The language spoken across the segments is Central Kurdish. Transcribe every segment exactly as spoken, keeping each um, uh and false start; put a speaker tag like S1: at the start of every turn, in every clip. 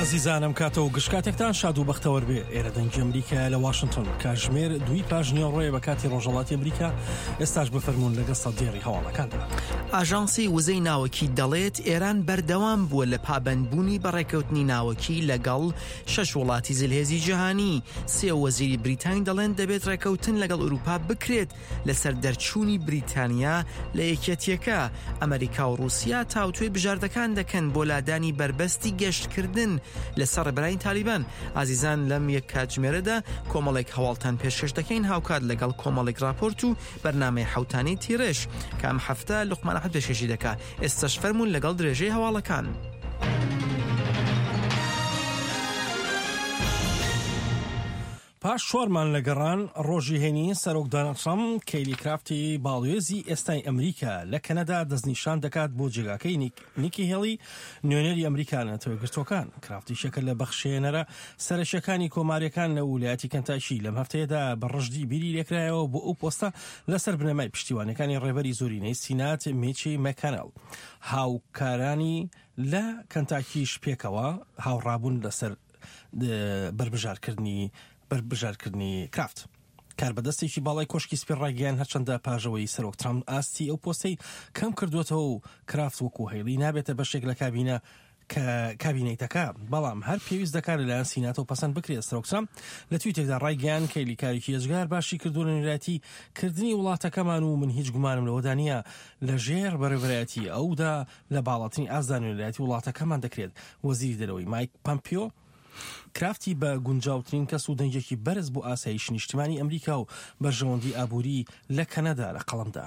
S1: ئازیزانم کاتەوە گشت کاتێکتان شاد و بەختەوەر بێ. ئێرە دەنگی ئەمریکا لە واشنگتۆن، کاتژمێر دووی پاش نیوەڕۆیە بە کاتی ڕۆژهەڵاتی ئەمریکا. ئێستاش بفەرموون لەگەڵ سەدێڕی هەواڵەکاندا.
S2: ئاژانسی وزەی ناوەکی دەڵێت ئێران بەردەوام بووە لە پابەندبوونی بەڕێکەوتنی ناوەکی لەگەڵ شەش وڵاتی زلهێزی جیهانی. سێ وەزیری بریتانی دەڵێن دەبێت ڕێکەوتن لەگەڵ ئەوروپا بکرێت لەسەر دەرچوونی بریتانیا لە یەکێتیەکە. ئەمریکا و رووسیا تاوتوێی بژاردەکان دەکەن بۆ لادانی بەربەستی گەشتکردن لەسەر ڕێبەرانی تالیبان. ئازیزان لەم یەک کاتژمێرەدا کۆمەڵێک هەواڵتان پێشکەش دەکەین، هاوکات لەگەڵ کۆمەڵێک راپۆرت و بەرنامەی حوتانەی تیڕێژ کە ئەم هەفتە لوقمان ئەحمەد پێشکەشی دەکا. ئێستاش فەرموون لەگەڵ درێژەی هەواڵەکان.
S1: پاش چوارمان لە گەڕان ڕۆژی هەینی سەرۆک دۆناڵد ترەمپ کەیلی کرافتی باڵوێزی ئێستای ئەمریکا لە کەنەدا دەستنیشان دەکات بۆ جێگاکەی نیکی هێڵی نوێنەری ئەمریکا لە نەتەوە یەکگرتووەکان. کرافتی یەکێکە لە بەخشێنەرە سەرەکیەکانی کۆماریەکان لە ویلایەتی کەنتاکی. لەم هەفتەیەدا بە ڕژدی بیری لێکرایەوە بۆ ئەو پۆستە لەسەر بنەمای پشتیوانەکانی ڕێبەری زۆرینەی سینات میچی مەکانێل. هاوکارانی لە کەنتاکیش پێکەوە هاوڕابوون لەسەر بەربژارکردنی بەربژارکردنی کرافت. کاربەدەستێکی باڵای کۆشکی سپی ڕایگەیان هەرچەندە پاژەوەی سەرۆک ترامپ ئاستی ئەو پۆستەی کەم کردووەتەوە و کرافت وەکو هەیڵی نابێتە بەشێک لە کابینە کە کابینەیتەکە، بەڵام هەر پێویست دەکات لەلایەن سیناتەوە پەسەند بکرێت. سەرۆک ترامپ لە تویتێکدا ڕایگەیان کەیلی کارێکی ئێجگار باشی کردووە لە نوێنەرایەتی کردنی وڵاتەکەمان و من هیچ گومانم لەوەدا نییە لەژێر بەڕێوەبەرایەتی ئەودا لە باڵاترین ئاستدا نوێنەرایەتی وڵاتەکەمان دەکرێت. وەزیری دەرەوەی مایک پەمپیۆ کرافتی بە گونجاوترین کەس و دەنگێکی بەرز بۆ ئاسایش نیشتمانی ئەمریکا و بەرژەوەندی ئابووری لە کەنەدا لە قەڵەمدا.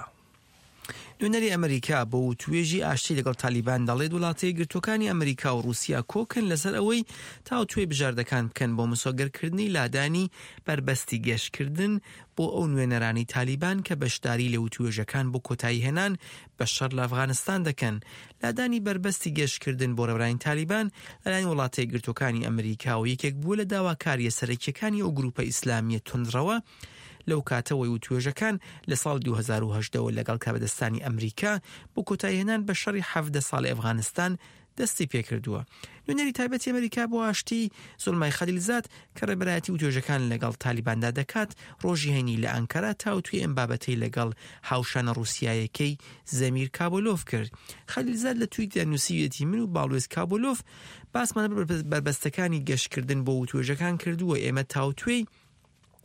S2: نوێنەری ئەمریکا بۆ وتوێژی ئاشتی لەگەڵ تالیبان دەڵێت وڵاتە یەکگرتووەکانی ئەمریکا و رووسیا کۆکن لەسەر ئەوەی تاوتوێی بژاردەکان بکەن بۆ مسۆگەرکردنی لادانی بەربەستی گەشتکردن بۆ ئەو نوێنەرانی تالیبان کە بەشداری لە وتوێژەکان بۆ کۆتاییهێنان بە شەڕ لە ئەفغانستان دەکەن. لادانی بەربەستی گەشتکردن بۆ ڕێبەرانی تالیبان لەلایەن وڵاتە یەکگرتووەکانی ئەمریکا و یەکێک بووە لە داواکاریە سەرەکیەکانی ئەو گروپە ئیسلامیە توندڕەوە لەو کاتەوەی وتوێژەکان لە ساڵ دوو هەزار و هەژدە لەگەڵ کاربەدەستانی ئەمریکا بۆ کۆتاییهێنان بە شەڕی حەڤدە ساڵی ئەفغانستان دەستی پێکردووە. نوێنەری تایبەتی ئەمریکا بۆ ئاشتی زوڵمای خەلیلزاد کە ڕێبەرایەتی وتوێژەکان لەگەڵ تالیباندا دەکات ڕۆژی هەینی لە ئەنکەرە تاوتوێی ئەم بابەتەی لەگەڵ هاوشانە ڕووسیایەکەی زەمیر کابولۆف کرد. خەلیلزاد لە تویتدا نووسیویەتی من و باڵوێز کابولۆف باسمان بەربەستەکانی گەشتکردن بۆ وتوێژەکان کردووە. ئێمە تاوتوێی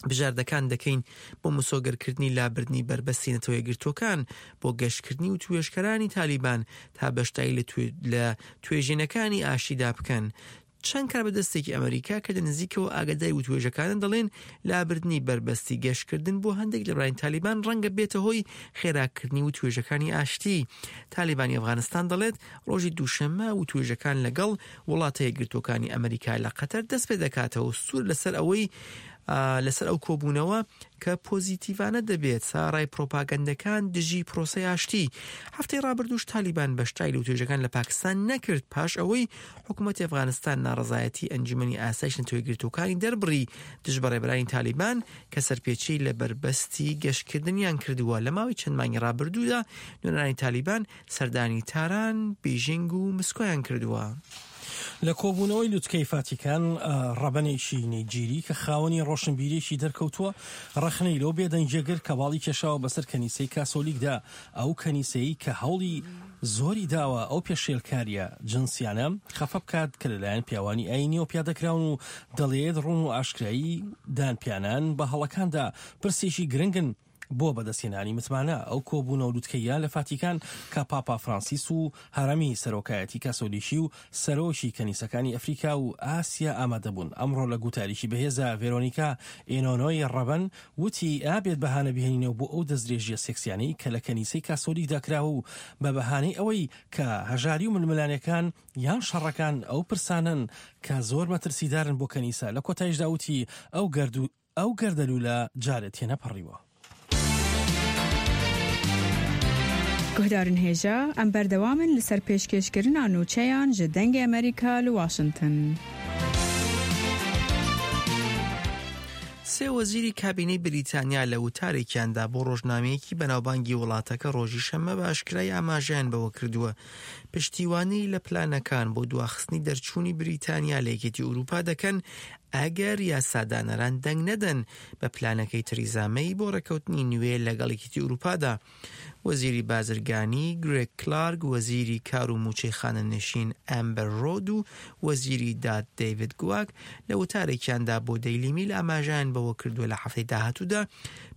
S2: بژاردەکان دەکەین بۆ مسۆگەرکردنی لابردنی بەربەستی نەتەوە یەکگرتووەکان بۆ گەشتکردنی و توێژکەرانی تالیبان تا بەشداری لە توێژینەکانی ئاشتیدا بکەن. چەند کاربەدەستێکی ئەمریکا کە لە نزیکەوە ئاگاداری وتوێژەکانن دەڵێن لابردنی بەربەستی گەشتکردن بۆ هەندێک لە ڕێبەرانی تالیبان ڕەنگە بێتە هۆی خێراکردنی وتوێژەکانی ئاشتی. تالیبانی ئەفغانستان دەڵێت ڕۆژی دووشەممە وتوێژەکان لەگەڵ وڵاتە یەکگرتووەکانی ئەمریکا لە قەتەر دەست پێ دەکاتەوە سوور لەسەر ئەوەی لەسەر ئەو کۆبوونەوە کە پۆزیتیڤانە دەبێت ساڕای پرۆپاگەندەکان دژی پرۆسەی ئاشتی. هەفتەی ڕابردووش تالیبان بەشداری لە وتوێژەکان لە پاکستان نەکرد پاش ئەوەی حکوومەتی ئەفغانستان ناڕەزایەتی ئەنجومەنی ئاسایش نەتەوە یەکگرتووەکانی دەربڕی دژ بە ڕێبەرانی تالیبان کە سەرپێچی لە بەربەستی گەشتکردنیان کردووە. لە ماوەی چەند مانگی ڕابردوودا نوێنەرانی تالیبان سەردانی تاران، بیژینگ و مسکۆیان کردووە.
S1: لە کۆبوونەوەی لوتکەی فاتیکان ڕەبەنێکی نەیجیری کە خاوەنی ڕۆشنبیرێکی دەرکەوتووە ڕەخنەی لەو بێدەنگیە گرت کە باڵی کێشاوە بەسەر کەنیسەی کاسۆلیکدا، ئەو کەنیسەی کە هەوڵی زۆری داوە ئەو پێشێلکاریە جنسیانە خەفە بکات کە لەلایەن پیاوانی ئاینیەوە پیادەکراون و دەڵێت ڕوون و ئاشکرایی دانپیانان بە هەڵەکاندا پرسێکی گرنگن بۆ بەدەستهێنانی متمانە. ئەو کۆبوونەوە لوتکەیە لە فاتیکان کە پاپا فرانسیس و هەرەمی سەرۆکایەتی کاسۆلیکی و سەرۆکی کەنیسەکانی ئەفریکا و ئاسیا ئامادەبوون. ئەمڕۆ لە گوتاریکی بەهێزە ڤێرۆنیکا ئینۆنۆی ڕەبەن وتی ئابێت بەهانە بهێنینەوە بۆ ئەو دەستدرێژیە سێکسیانەی کە لە کەنیسەی کاسۆلیکدا کراوە و بە بەهانەی ئەوەی کە هەژاری و ململانێکان یان شەڕەکان ئەو پرسانن کە زۆر مەترسیدارن بۆ کەنیسە. لە کۆتاییشدا وتی ئەو گەردو ئەو گەردەلوولە جارێت تێنەپەڕیوە.
S3: گوهدارن هێژا ئەم بەردەوامن لەسەر پێشکێشکردنا نوچەیان ji دەنگê ئەمریکا لە واشنگتن.
S2: سێ وەزیری کابینەی بریتانیا لە وتارێکیاندا بۆ ڕۆژنامەیەکی بەناوبانگی وڵاتەکە ڕۆژی شەممە بە ئاشکرای ئاماژەیان بەوە کردووە پشتیوانی لە پلانەکان بۆ دواخستنی دەرچوونی بریتانیا لە یەکێتی ئەوروپا دەکەن ئەگەر یاسادانەران دەنگ نەدەن بە پلانەکەی تریزا مەی بۆ ڕێککەوتنی نوێ لەگەڵ یەکێتی ئەوروپادا. وەزیری بازرگانی گرێگ کلارک، وەزیری کار و موچەی خانەنشین ئەمبەر ڕۆد و وەزیری داد دەیڤید گواک لە وتارێکیاندا بۆ دەیلی میل ئاماژەیان بەوە کردووە لە هەفتەی داهاتوودا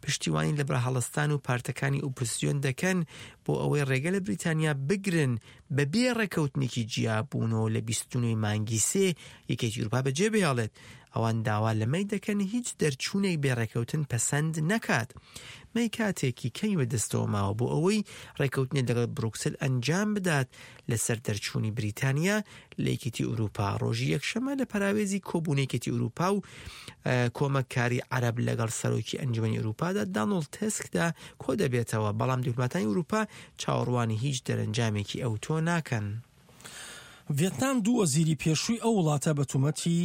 S2: پشتیوانی لە بەرهەڵستان و پارتەکانی ئۆپۆزسیۆن دەکەن بۆ ئەوەی ڕێگە لە بریتانیا بگرن بەبێ ڕێککەوتنێکی جیابوونەوە لە بیست و نۆ مانگی سێ یەکێتی ئەوروپا بەجێ بهێڵێت. ئەوان داوا لە مەی دەکەن هیچ دەرچوونێک بێ ڕێککەوتن پەسەند نەکات. مەی کاتێکی کەمی بەدەستەوە ماوە بۆ ئەوەی ڕێککەوتنێک لەگەڵ بروکسل ئەنجام بدات لەسەر دەرچوونی بریتانیا لە یەکێتی ئەوروپا. ڕۆژی یەکشەممە لە پەراوێزی کۆبوونەی یەکێتی ئەوروپا و کۆمەککاری عەرەب لەگەڵ سەرۆکی ئەنجومەنی ئەوروپادا دانۆڵد تسکدا کۆ دەبێتەوە، بەڵام دیپلۆماتانی ئەوروپا چاوەڕوانی هیچ دەرەنجامێکی ئەوتۆ ناکەن.
S1: ڤێتنام دوو وەزیری پێشووی ئەو وڵاتە بە تۆمەتی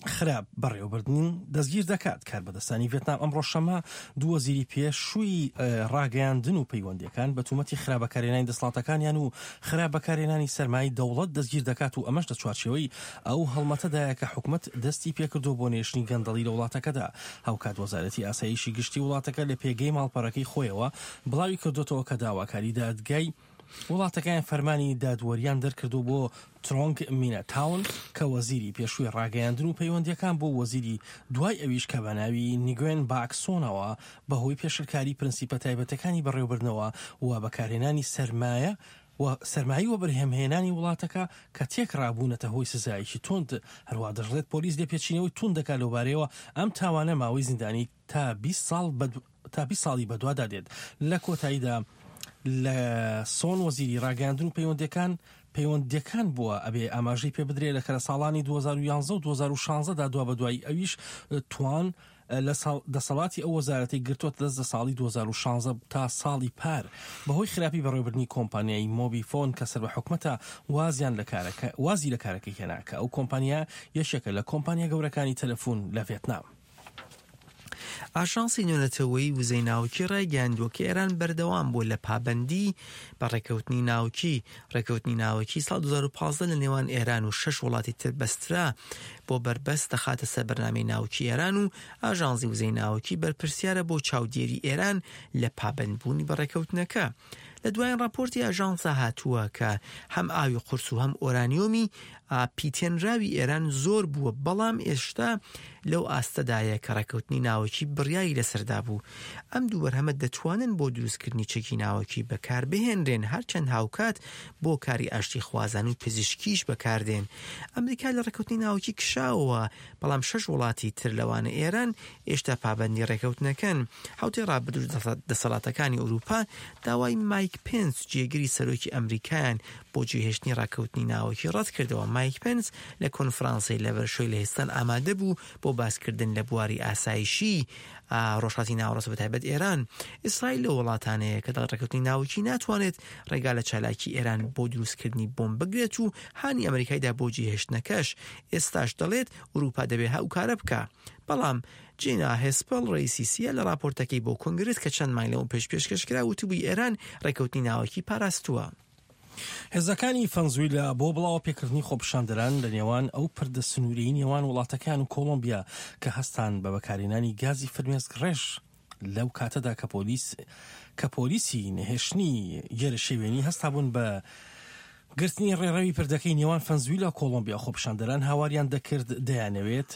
S1: خراپ بەڕێوەبردن دەستگیر دەکات. کاربەدەستانی ڤێتنام ئەمڕۆ شەممە دوو وەزیری پێشووی ڕاگەیاندن و پەیوەندیەکان بە تۆمەتی خراپ بەکارهێنانی دەسەڵاتەکانیان و خراپ بەکارهێنانی سەرمایەی دەوڵەت دەستگیر دەکات و ئەمەش لە چوارچێوەی ئەو هەڵمەتەدایە کە حکومەت دەستی پێکردووە بۆ نێشتنی گەندەڵی لە وڵاتەکەدا. هاوکات وەزارەتی ئاسایشی گشتی وڵاتەکە لە پێگەی ماڵپەڕەکەی خۆیەوە بڵاوی کردوێتەوە کە داواکاری دادگای وڵاتەکەیان فەرمانی دادوەریان دەرکردو بۆ ترۆنگ مینە تاون کە وەزیری پێشووی ڕاگەیاندن و پەیوەندیەکان بۆ وەزیری دوای ئەویش کە بە ناوی نیگوێن باکسۆنەوە بەهۆی پێشلکاری پرنسیپە تایبەتەکانی بەڕێوەبردنەوە و بەکارهێنانی سەرمایە و سەرمایە و بەرهەمهێنانی وڵاتەکە کە تێکڕابوونەتە هۆی سزایەکی توند. هەروە دەشڵێت پۆلیس لێپێچینەوەی توند دەکات لەوبارەیەوە ئەم تاوانە ماوەی زیندانی تا بیست ساڵ تا بیست ساڵی بەدوادا دێت. لە کۆتاییدا لە سۆن وەزیری ڕاگەیاندن و پەیوەندیەکان پەیوەندیەکان بووە ئەبێ ئاماژەی پێ بدرێت لە کە لە ساڵانی دوو هەزار و یازدە و دوو هەزار و شازدە دا دوا بەدوای ئەویش توان لە دەسەڵاتی ئەو وەزارەتی گرتووەتە دەست لە ساڵی دوو هەزار و شازدە تا ساڵی پار بەهۆی خراپی بەڕێوەبردنی کۆمپانیای مۆبی فۆن کە سەر بە حکومەتە وازیان لە کارەکە وازی لە کارەکەی هێنا کە ئەو کۆمپانیا یەکێکە لە کۆمپانیا گەورەکانی تەلەفۆن لە ڤێتنام.
S2: ئاژانسی نێونەتەوەیی وزەی ناوکی ڕایگەیاندووە کە ئێران بەردەوام بووە لە پابەندی بە ڕێککەوتنی ناوکی. ڕێککەوتنی ناوکی ساڵ دوو هەزار و پازدە لە نێوان ئێران و شەش وڵاتی تر بەسترا بۆ بەربەست دەخاتە سەر بەرنامەی ناوکی ئێران و ئاژانسی وزەی ناوکی بەرپرسیارە بۆ چاودێری ئێران لە پابەندبوونی بە ڕێککەوتنەکە. لە دوایین ڕاپۆرتی ئاژانسا هاتووە کە هەم ئاوی قورس و هەم ئۆرانیۆمی پیتێنراوی ئێران زۆر بووە، بەڵام ئێشتا لەو ئاستەدایە کە ڕێککەوتنی ناوەکی بڕیاری لەسەردا بوو. ئەم دوو بەرهەمە دەتوانن بۆ دروستکردنی چەکی ناوەکی بەکاربهێنرێن، هەرچەند هاوکات بۆ کاری ئاشتی خوازان و پزیشکیش بەکاردێن. ئەمریکا لە ڕێککەوتنی ناوەکی کشاوە، بەڵام شەش وڵاتی تر لەوانە ئێران ئێشتا پابەندی ڕێککەوتنەکەن. حوتەی ڕابردوو دەسەڵاتەکانی ئەوروپا داوای مایک پێنس جێگری سەرۆکی ئەمریکایان بۆ جێهێشتنی ڕاکەوتنی ناوەکی ڕەت کردەوە. مایک پێنس لە کۆنفرانسی لەڤەرشۆی لە هێستان ئامادە بوو بۆ باسکردن لە بواری ئاسایشی ڕۆژهەڵاتی ناوەڕاست بە تایبەت ئێران. ئیسرائیل لە وڵاتانەیە کە دەڵێت ڕێککەوتنی ناوەکی ناتوانێت ڕێگا لە چالاکی ئێران بۆ دروستکردنی بۆمب بگرێت و هانی ئەمریکایدا بۆ جێهێشتنەکەش. ئێستاش دەڵێت ئەوروپا دەبێت هاوکارە بکە. بەڵام جینا هێسپڵ ڕئیسی سیە لە راپۆرتەکەی بۆ کۆنگرس کە چەند مانگ لەوە پێش پێشکەش کرا وتبووی ئێران ڕێککەوتنی ناوەکی پاراستووە.
S1: هێزەکانی فەنزویلا بۆ بڵاوە پێکردنی خۆپیشاندەران لە نێوان ئەو پردە سنووریی نێوان وڵاتەکان و کۆڵۆمبیا کە هەستان بە بەکارهێنانی گازی فرمێسک ڕێژ لەو کاتەدا کە پۆلیس کە پۆلیسی نەهێشتنی گێرەشێوێنی هەستابوون بە گرتنی ڕێڕەوی پردەکەی نێوان فەنزویلا و کۆڵۆمبیا، خۆپیشاندەران هاواریان دەکرد دەیانەوێت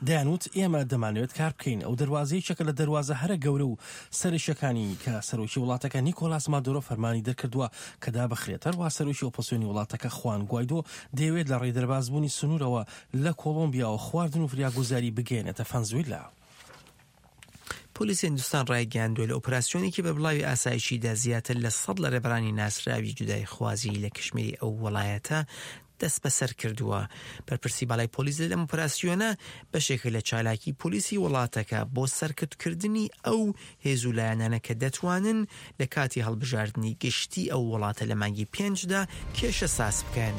S1: دەیانوت ئێمە دەمانەوێت کار بکەین. ئەو دەروازەیەکە لە دەروازە هەرە گەورە و سەرەکیەکانی کە سەرۆکی وڵاتەکە نیکۆلاس مادورۆ فەرمانی دەرکردووە کە دابخرێت. هەروەها سەرۆکی ئۆپۆزسیۆنی وڵاتەکە خوان گوایدۆ دەیەوێت لە ڕێی دەربازبوونی سنوورەوە لە کۆڵۆمبیاوە خواردن و فریاگوزاری بگەیەنێتە فەنزویلا.
S2: پۆلیس هندستان ڕایگەیاندووە لە ئۆپەراسیۆنێکی بەربڵاوی ئاسایشیدا زیاتر لە سەد لە ڕێبەرانی ناسراوی جودایخوازی لە کشمیری ئەو وڵایەتە دەست بەسەر کردووە. بەرپرسی باڵای پۆلیس لەم ئۆپەراسیۆنە بەشێکە لە چالاکی پۆلیسی وڵاتەکە بۆ سەرکوتکردنی ئەو هێز و لایەنانە کە دەتوانن لە کاتی هەڵبژاردنی گشتی ئەو وڵاتە لە مانگی پێنجدا کێشە ساز بکەن.